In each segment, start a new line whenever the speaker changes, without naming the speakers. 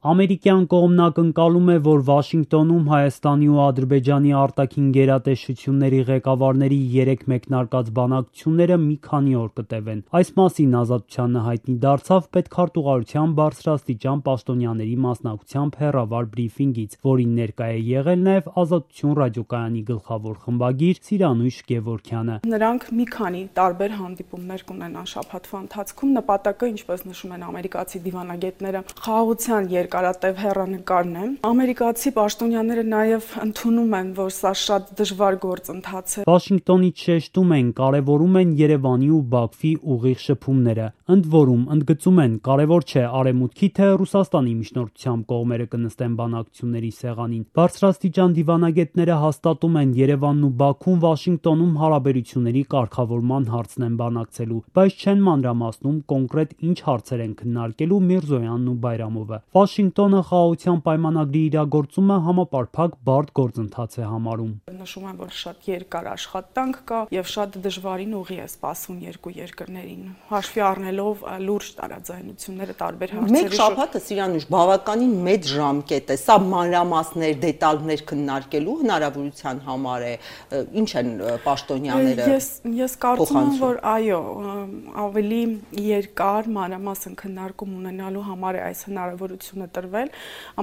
Ամերիկյան կողմն ակնկալում է, որ Վաշինգտոնում Հայաստանի ու Ադրբեջանի արտաքին գերատեսչությունների ղեկավարների 3 մեկնարկած բանակցությունները մի քանի օր կտևեն։ Այս մասին Ազատությանը հայտնի դարձավ պետքարտուղարության բարձրաստիճան պաշտոնյաների մասնակցությամբ հեռավար բրիֆինգից, որին ներկայ է եղել նաև Ազատություն ռադիոկայանի գլխավոր խմբագիր Սիրանույշ Գևորգյանը։
Նրանք մի քանի տարբեր հանդիպումներ կունենան շաբաթվա ընթացքում։ Նպատակը, ինչպես նշում են ամերիկացի դիվանագետները, խաղաղության երկարատև հեռանկարն է։ Ամերիկացի պաշտոնյաները նաև ընդունում են, որ սա շատ դժվար գործընթաց է։
Վաշինգտոնից շեշտում են, կարևորում են Երևանի ու Բաքվի ուղիղ շփումները։ Ընդ որում, ընդգծում են, կարևոր չէ Արևմուտքի թե Ռուսաստանի միջնորդությամբ կողմերը կնստեն բանակցությունների սեղանին։ Բարձրաստիճան դիվանագետները հաստատում են, Երևանն ու Բաքուն Վաշինգտոնում հարաբերությունների կարգավորման հարցն են բանակցելու, բայց չեն մանրամասնում կոնկրետ ինչ հարցեր են քննարկելու Միրզոյանն ու Բայրամովը։ Վաշինգտոնը խաղաղության պայմանագրի իրագործումը համապարփակ բարդ գործընթաց է համարում։
Նշում են, որ շատ երկար աշխատանք կա եւ շատ դժվարին ուղի է սպասվում երկու երկրներին, հաշվի առնելով լուրջ տարաձայնությունները տարբեր հարցերի։
Մեկ շաբաթը Սիրանույշ բավականին մեծ ժամկետ է, սա մանրամասներ, դետալներ քննարկելու հնարավորության համար է, ինչ են պաշտոնյաները։
Ես կարծում եմ, որ այո, ավելի երկար մանրամասն քննարկում ունենալու համար է այս հնարավորությունը տրվել։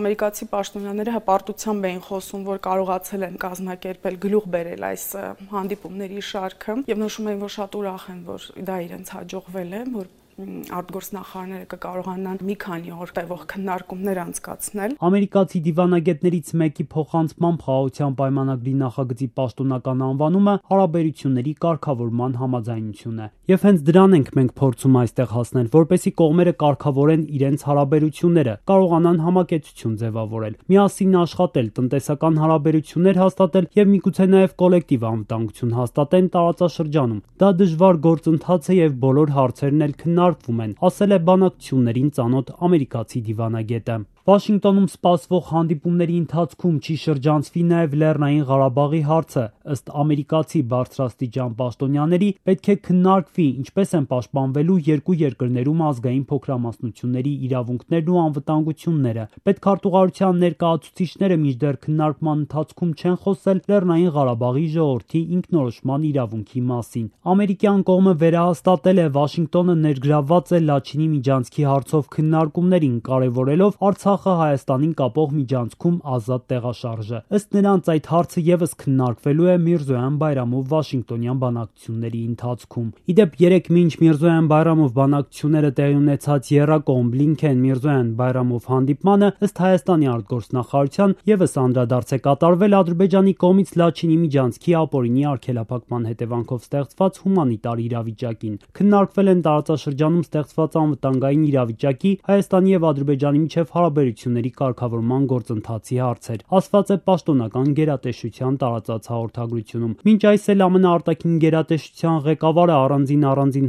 Ամերիկացի պաշտոնյաները հպարտությամբ էին խոսում, որ կարողացել են կազմակերպել, գլուխ բերել այս հանդիպումների շարքը եւ նշում էին, որ շատ ուրախ են, որ դա իրենց հաջողվել է, որ արտգործնախարարները կկարողանան մի քանի օր տևող քննարկումներ անցկացնել։
Ամերիկացի դիվանագետներից մեկի փոխանցմամբ խաղաղության պայմանագրի նախագծի պաշտոնական անվանումը հարաբերությունների կարգավորման համաձայնություն է։ Եվ հենց դրան ենք մենք փորձում այստեղ հասնել, որպեսզի կողմերը կարգավորեն իրենց հարաբերությունները, կարողանան համակեցություն ձևավորել, միասին աշխատել, տնտեսական հարաբերություններ հաստատել եւ միգուցե նաեւ կոլեկտիվ անվտանգություն հաստատեն տարածաշրջանում։ Դա դժվար գործընթաց է եւ բոլոր հարցերն էլ քննարկվում են, ասել է բանակցություններին ծանոթ ամերիկացի դիվանագետը։ Վաշինգտոնում սպասվող հանդիպումների ընթացքում չի շրջանցվի նաև Լեռնային Ղարաբաղի հարցը։ Ըստ ամերիկացի բարձրաստիճան պաշտոնյաների, պետք է քննարկվի ինչպես են պաշտպանվելու երկու երկրներում ազգային փոքրամասնությունների իրավունքներն ու անվտանգությունները։ Պետքարտուղարության ներկայացուցիչները մինչդեռ քննարկման ընթացքում չեն խոսել Լեռնային Ղարաբաղի ժողովրդի ինքնորոշման իրավունքի մասին։ Ամերիկյան կողմը վերահաստատել է, Վաշինգտոնը ներգրավված է Լաչինի միջանցքի հարցով քննարկումներին, կարևորելով Արցախը Հայաստանին կապող միջանցքում ազատ տեղաշարժը։ Ըստ նրանց այդ հարցը եւս քննարկվելու է Միրզոյան-Բայրամով Վաշինգտոնյան բանակցությունների ընթացքում։ Իդեպ 3 մինչ Միրզոյան-Բայրամով բանակցությունները տեղի ունեցած եռակողմ Բլինքեն-Միրզոյան-Բայրամով հանդիպմանը ըստ Հայաստանի արտգործնախարարության եւս անդրադարձ է կատարվել Ադրբեջանի կողմից Լաչինի միջանցքի ապօրինի արգելափակման հետևանքով ստեղծված հումանիտար իրավիճակին։ Քննարկվել են տարածաշրջանում ստեղծված անվտանգային իրավիճակի, Հայաստանի եւ Ադրբեջանի միջև հարաբերությունների կարգավորման գործընթացի հարցեր, ասված է պաշտոնական գերատեսչության տարածած հաղորդագրությունում։ Մինչ այս էլ ԱՄՆ արտաքին գերատեսչության ղեկավարը առանձին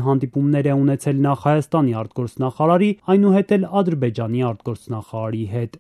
հանդիպումներ է ունեցել նախ Հայաստանի արտգործնախարարի, այնուհետ էլ Ադրբեջանի արտգործնախարարի հետ։